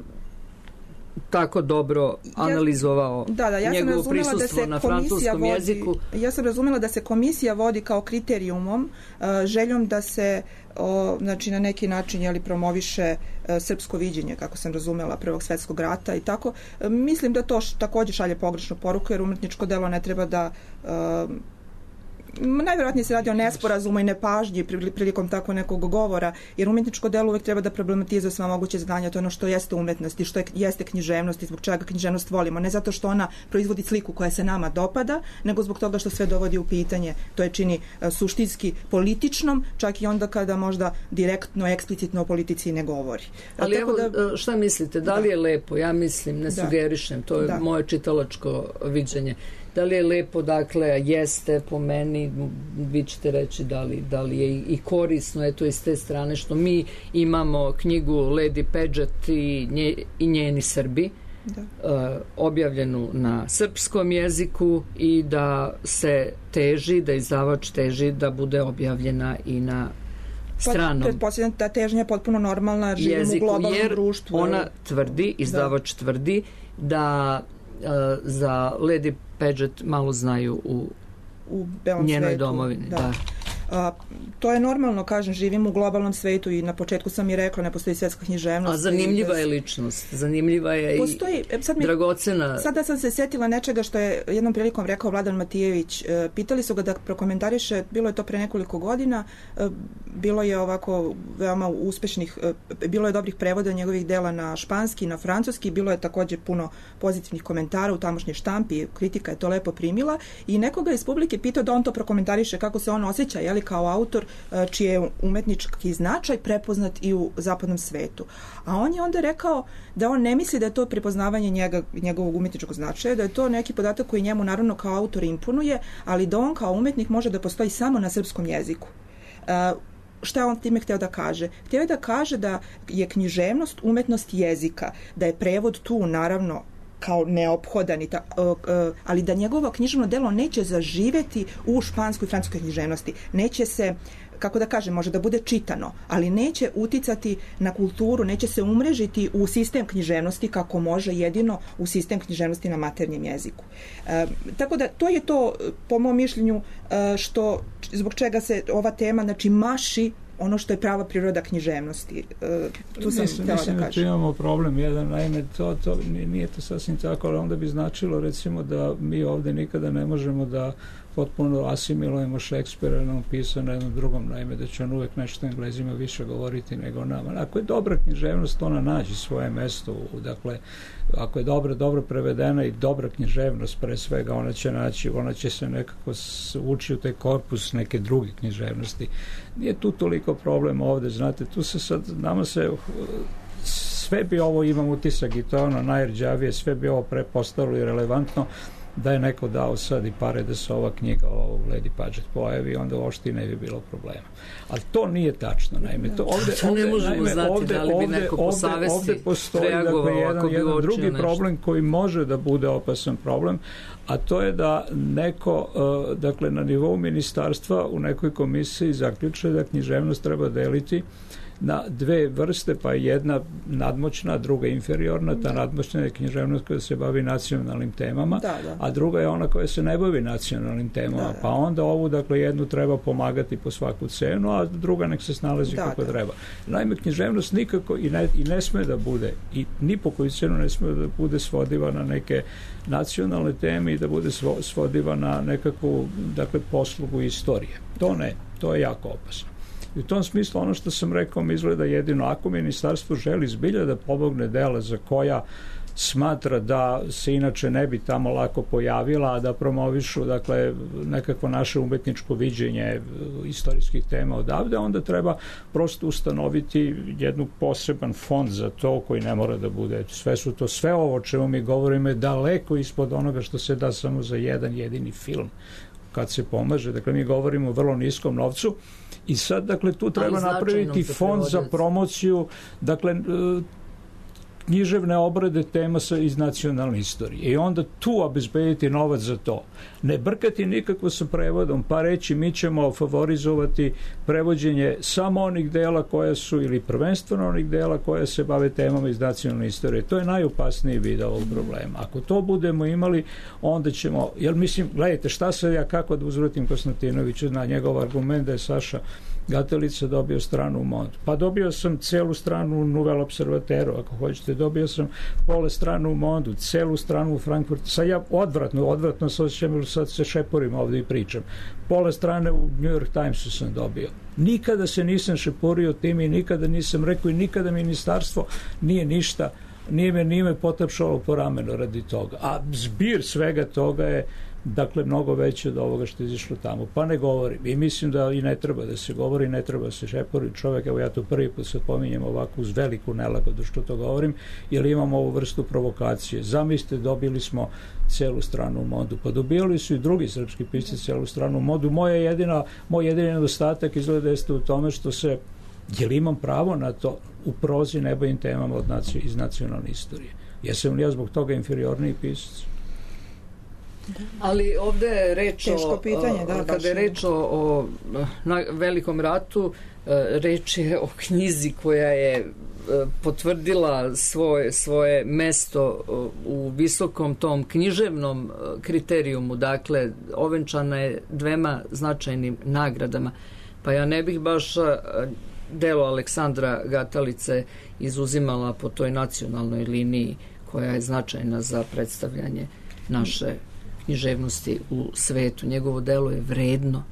tako dobro analizovao njegovo prisustvo na francuskom jeziku. Ja sam razumela da se komisija vodi kao kriterijumom, željom da se znači na neki način promoviše srpsko viđenje, kako sam razumela, Prvog svetskog rata i tako. Mislim da to takođe šalje pogrešnu poruku, jer umetničko delo ne treba da najvjerojatnije se radi o nesporazumu i nepažnji prilikom tako nekog govora, jer umetničko delo uvek treba da problematizuje sva moguće znanja, to je ono što jeste umetnost i što jeste književnost i zbog čega književnost volimo. Ne zato što ona proizvodi sliku koja se nama dopada, nego zbog toga što sve dovodi u pitanje. To je čini suštinski političnom, čak i onda kada možda direktno, eksplicitno o politici ne govori. Ali evo, šta mislite, da li je lepo? Ja mislim, ne sugerišem, to je moje čitalačko viđenje. Da li je lepo, dakle, jeste po meni, vi ćete reći da li je i korisno, eto iz te strane što mi imamo knjigu Lady Paget i njeni Srbi, objavljenu na srpskom jeziku i da se teži, da izdavač teži da bude objavljena i na stranom pretpostavljam da težnja je potpuno normalna, živimo u globalnom društvu. Ona tvrdi, izdavač tvrdi da za Lady Paget malo znaju u njenoj domovini. To je normalno, kažem, živimo u globalnom svetu i na početku sam i rekla, ne postoji svetska književnost. A zanimljiva je ličnost, zanimljiva je dragocena. Sada sam se setila nečega što je jednom prilikom rekao Vladan Matijević. Pitali su ga da prokomentariše, bilo je to pre nekoliko godina, bilo je ovako veoma uspešnih, bilo je dobrih prevoda njegovih dela na španski, na francuski, bilo je također puno pozitivnih komentara u tamošnjoj štampi, kritika je to lepo primila i nekoga iz publike pitao da on to prokomentariše, kako se on osjeća, kao autor čiji je umetnički značaj prepoznat i u zapadnom svetu. A on je onda rekao da on ne misli da je to prepoznavanje njegovog umetničkog značaja, da je to neki podatak koji njemu naravno kao autor imponuje, ali da on kao umetnik može da postoji samo na srpskom jeziku. Šta je on time hteo da kaže? Hteo je da kaže da je književnost umetnost jezika, da je prevod tu naravno kao neophodan, ali da njegovo književno delo neće zaživeti u španskoj i francuskoj književnosti. Neće se, kako da kažem, može da bude čitano, ali neće uticati na kulturu, neće se umrežiti u sistem književnosti kako može jedino u sistem književnosti na maternjem jeziku. Tako da to je to, po mom mišljenju, zbog čega se ova tema, znači, maši ono što je prava priroda književnosti. Tu sam htjela da kažem. Tu imamo problem jedan, naime, nije to sasvim tako, ali onda bi značilo, recimo, da mi ovdje nikada ne možemo da potpuno asimilujemo Šekspira, nam pisao na jednom drugom, naime, da će on uvek nešto Englezima više govoriti nego nama. Ako je dobra književnost, ona nađe svoje mesto, dakle, ako je dobro prevedena i dobra književnost, pre svega, ona će se nekako ući u taj korpus neke druge književnosti. Nije tu toliko problem ovde, znate, tu se sad, nama se sve bi ovo, imam utisak, i to je ono najrđavije, sve bi ovo prepostalo i relevantno da je neko dao sad i pare da se ova knjiga o Lady Paget pojavi, onda uopšte ne bi bilo problema. Ali to nije tačno, naime. Ne možemo znati da li bi neko po savesti reagovao ako bi jedan drugi problem koji može da bude opasan problem, a to je da neko, dakle, na nivou ministarstva u nekoj komisiji zaključuje da književnost treba deliti na dve vrste, pa jedna nadmoćna, druga inferiorna. Ta nadmoćna je književnost koja se bavi nacionalnim temama, a druga je ona koja se ne bavi nacionalnim temama. Pa onda ovu, dakle, jednu treba pomagati po svaku cenu, a druga nek se snalazi kako treba. Naime, književnost nikako i ne sme da bude, i ni po koju cenu ne sme da bude svodiva na neke nacionalne teme i da bude svodiva na nekakvu, dakle, poslugu istorije. To ne, to je jako opasno. I u tom smislu ono što sam rekao mi izgleda jedino ako ministarstvo želi zbilja da pomogne dela za koja smatra da se inače ne bi tamo lako pojavila, a da promovišu dakle nekako naše umetničko viđenje istorijskih tema odavde, onda treba prosto ustanoviti jednu poseban fond za to koji ne mora da bude. Sve ovo o čemu mi govorimo je daleko ispod onoga što se da samo za jedan jedini film kad se pomaže. Dakle, mi govorimo o vrlo niskom novcu i sad, dakle, tu treba napraviti fond za promociju, dakle, književne obrade tema iz nacionalne istorije i onda tu obezbediti novac za to. Ne brkati nikako sa prevodom, pa reći mi ćemo favorizovati prevođenje samo onih dela koja su, ili prvenstveno onih dela koja se bave temama iz nacionalne istorije. To je najopasniji vid ovog problema. Ako to budemo imali, onda ćemo, jer mislim, gledajte, šta se ja kako da uzvratim Konstantinoviću na njegov argument da je Saša Gatelica dobio stranu u Mondu. Pa dobio sam celu stranu u Nouvelle Observateru, ako hoćete. Dobio sam pola stranu u Mondu, celu stranu u Frankfurtu. Sad ja odvratno se osjećam, sad se šeporim ovdje i pričam. Pola strane u New York Timesu sam dobio. Nikada se nisam šeporio tim i nikada nisam rekao i nikada ministarstvo nije me potapšalo po ramenu radi toga. A zbir svega toga je dakle mnogo veće od ovoga što je izišlo tamo. Pa ne govorim. I mislim da i ne treba da se govori, ne treba da se šepori čovjek. Evo ja to prvi put sad pominjem ovako uz veliku nelagodu što to govorim, jer imamo ovu vrstu provokacije. Zamislite, dobili smo celu stranu u Mondu. Pa dobili su i drugi srpski pisci celu stranu u Mondu. Moj jedini nedostatak izgleda jeste u tome što se, jer imam pravo na to, u prozi ne bavim temama iz nacionalne istorije. Jesam li ja zbog toga inferiorniji pisac? Ali ovde je reč kada je reč o Velikom ratu, reč je o knjizi koja je potvrdila svoje mesto u visokom tom književnom kriterijumu, dakle ovenčana je 2 značajnim nagradama, pa ja ne bih baš delo Aleksandra Gatalice izuzimala po toj nacionalnoj liniji koja je značajna za predstavljanje naše književnosti u svetu. Njegovo delo je vredno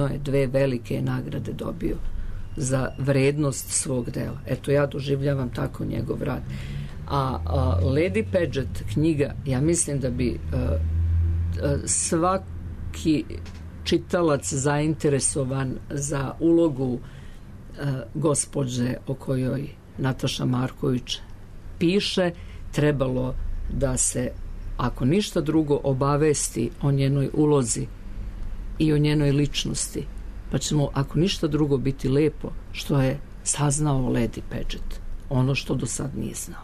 je, 2 velike nagrade dobio za vrednost svog dela. Eto, ja doživljavam tako njegov rad. A Lady Paget knjiga, ja mislim da bi svaki čitalac zainteresovan za ulogu gospođe o kojoj Nataša Marković piše, trebalo da se, ako ništa drugo, obavesti o njenoj ulozi i o njenoj ličnosti, pa ćemo, ako ništa drugo, biti lepo što je saznao Lady Paget, ono što do sad nije znao.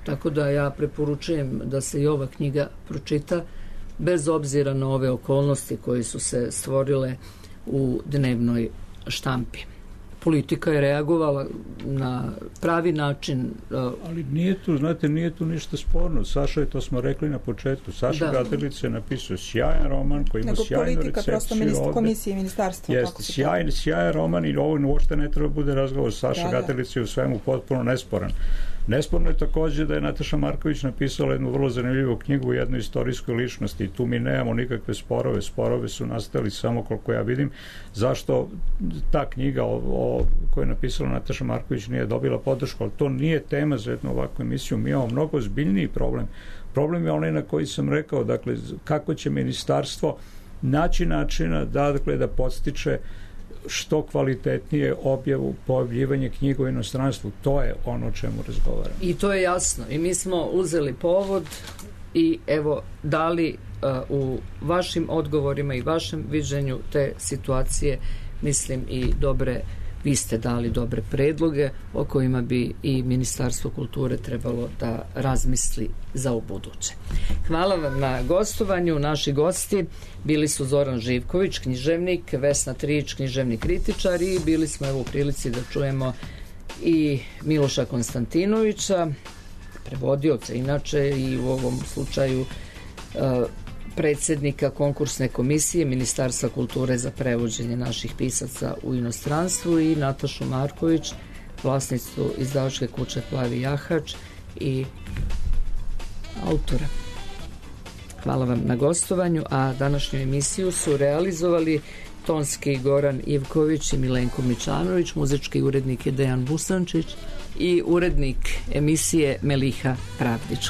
Tako da ja preporučujem da se i ova knjiga pročita, bez obzira na ove okolnosti koje su se stvorile u dnevnoj štampi. Politika je reagovala na pravi način. Ali nije tu ništa sporno. Saša, to smo rekli na početku, Saša Gatelica je napisao sjajan roman koji ima sjajnu recepciju ovde. Komisije i ministarstva. Jeste, sjajan roman i ovo uopšte ne treba bude razgovor. Saša Gatelica je u svemu potpuno nesporan. Nesporno je takođe da je Nataša Marković napisala jednu vrlo zanimljivu knjigu o jednoj istorijskoj ličnosti i tu mi nemamo nikakve sporove. Sporove su nastali samo koliko ja vidim. Zašto ta knjiga koju je napisala Nataša Marković nije dobila podršku, ali to nije tema za jednu ovakvu emisiju. Mi imamo mnogo ozbiljniji problem. Problem je onaj na koji sam rekao, dakle, kako će ministarstvo naći načina da podstiče što kvalitetnije pojavljivanje knjiga u inostranstvu. To je ono o čemu razgovaramo. I to je jasno. I mi smo uzeli povod i evo dali u vašim odgovorima i vašem viđenju te situacije, mislim, i vi ste dali dobre predloge o kojima bi i Ministarstvo kulture trebalo da razmisli za ubuduće. Hvala vam na gostovanju. Naši gosti bili su Zoran Živković, književnik, Vesna Trić, književni kritičar, i bili smo u prilici da čujemo i Miloša Konstantinovića, prevodioca inače, i u ovom slučaju predsjednika konkursne komisije Ministarstva kulture za prevođenje naših pisaca u inostranstvu, i Natašu Marković, vlasnicu izdavačke kuće Plavi jahač i autora. Hvala vam na gostovanju, a današnju emisiju su realizovali tonski Goran Ivković i Milenko Mičanović, muzički urednik je Dejan Busančić, i urednik emisije Meliha Pravdić.